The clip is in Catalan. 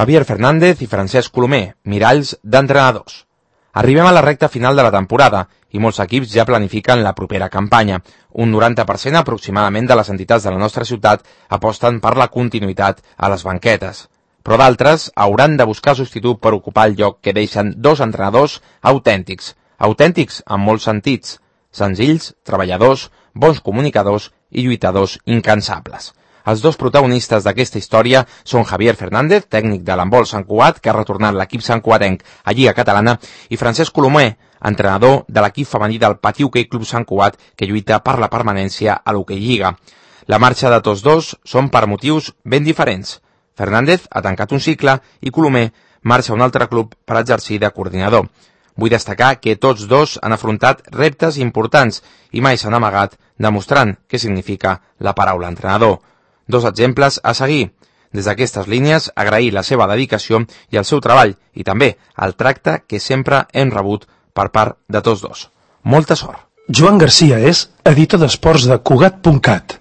Javier Fernández i Francesc Colomer, miralls d'entrenadors. Arribem a la recta final de la temporada i molts equips ja planifiquen la propera campanya. Un 90% aproximadament de les entitats de la nostra ciutat aposten per la continuïtat a les banquetes. Però d'altres hauran de buscar substitut per ocupar el lloc que deixen dos entrenadors autèntics. Autèntics en molts sentits. Senzills, treballadors, bons comunicadors i lluitadors incansables. Els dos protagonistes d'aquesta història són Javier Fernández, tècnic de l'handbol Sant Cugat, que ha retornat l'equip santcugatenc a Lliga Catalana, i Francesc Colomer, entrenador de l'equip femení del Patí Hoquei Club Sant Cugat, que lluita per la permanència a l'Hoquei Lliga. La marxa de tots dos són per motius ben diferents. Fernández ha tancat un cicle i Colomer marxa a un altre club per exercir de coordinador. Vull destacar que tots dos han afrontat reptes importants i mai s'han amagat demostrant què significa la paraula entrenador. Dos exemples a seguir. Des d'aquestes línies, agrair la seva dedicació i el seu treball i també el tracte que sempre hem rebut per part de tots dos. Molta sort. Joan Garcia és editor d'esports de Cugat.cat.